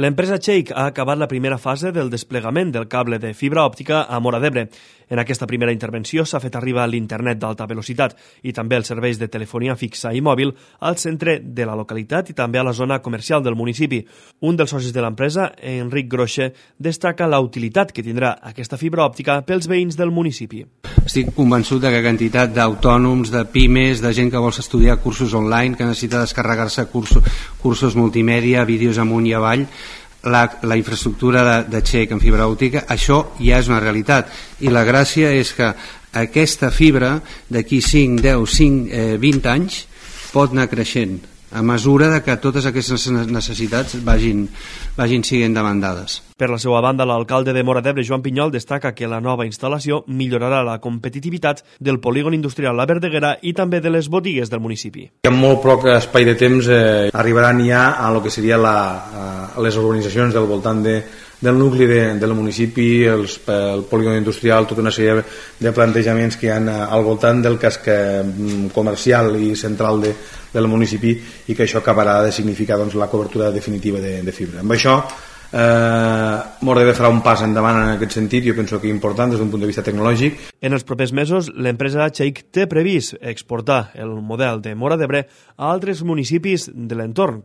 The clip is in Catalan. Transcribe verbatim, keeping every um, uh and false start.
L'empresa Cheik ha acabat la primera fase del desplegament del cable de fibra òptica a Móra d'Ebre. En aquesta primera intervenció s'ha fet arribar l'internet d'alta velocitat i també els serveis de telefonia fixa i mòbil al centre de la localitat i també a la zona comercial del municipi. Un dels socis de l'empresa, Enric Groixe, destaca la utilitat que tindrà aquesta fibra òptica pels veïns del municipi. Estic convençut que quantitat d'autònoms, de pimes, de gent que vol estudiar cursos online, que necessita descarregar-se cursos, cursos multimèdia, vídeos amunt i avall, la, la infraestructura de, de Cheik en fibra òptica, això ja és una realitat. I la gràcia és que aquesta fibra d'aquí cinc, deu, cinc, eh, vint anys pot anar creixent a mesura de que totes aquestes necessitats vagin, vagin siguent demandades. Per la seva banda, l'alcalde de Móra d'Ebre, Joan Pinyol, destaca que la nova instal·lació millorarà la competitivitat del polígon industrial La Verdeguera i també de les botigues del municipi. En molt poc espai de temps eh, arribaran ja a lo que seria la, a les urbanitzacions del voltant de, del nucli de, del municipi, els, el polígon industrial, tota una sèrie de plantejaments que hi ha al voltant del casc comercial i central de, del municipi i que això acabarà de significar doncs, la cobertura definitiva de, de fibra. Amb això Eh, Móra d'Ebre farà un pas endavant en aquest sentit, jo penso que és important des d'un punt de vista tecnològic. En els propers mesos, l'empresa Cheik té previst exportar el model de Móra d'Ebre a altres municipis de l'entorn,